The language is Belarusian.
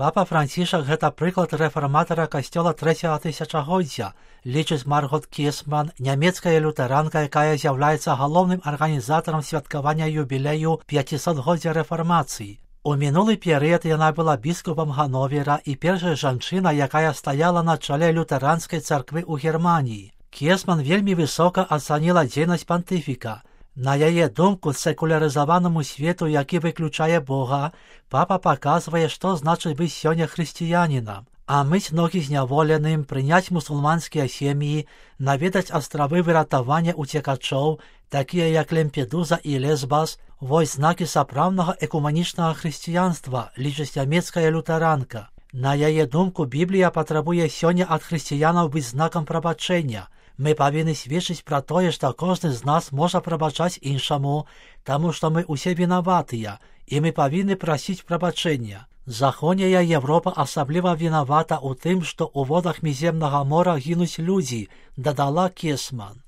Папа Францішак гэта прыклад рэфарматара касцёла 3-го тысячагоддзя, лічыць Маргот Кесман, нямецкая лютэранка, якая з'яўляецца галоўным арганізатарам святкавання юбілею 500-годдзя рэфармацыі. У мінулы перыяд яна была біскупам Гановера і першай жанчына, якая стаяла на чале лютэранскай царквы ў Германіі. Кесман вельмі высока ацаніла дзейнасць пантыфіка. На яе думку, секулярызаванаму свету, які выключае Бога, папа паказвае, што значыць быць сёння хрысціянінам, а мыць ногі зняволеным, прыняць мусульманскія сем'і, наведаць астравы выратавання уцекачоў, такія як Лемпедуза і Лесбас, вось знакі сапраўднага экуманічнага хрысціянства, лічыць нямецкая лютэранка. На яе думку, Біблія патрабуе сёння ад хрысціянаў быць знакам прабачэння. Мы павінны сведчыць пра тое, што кожны з нас можа прабачаць іншаму, таму што мы ўсе вінаватыя, і мы павінны прасіць прабачэння. Заходняя Европа асабліва вінавата ў тым, што ў водах міземнага мора гінуць людзі, дадала Кесман.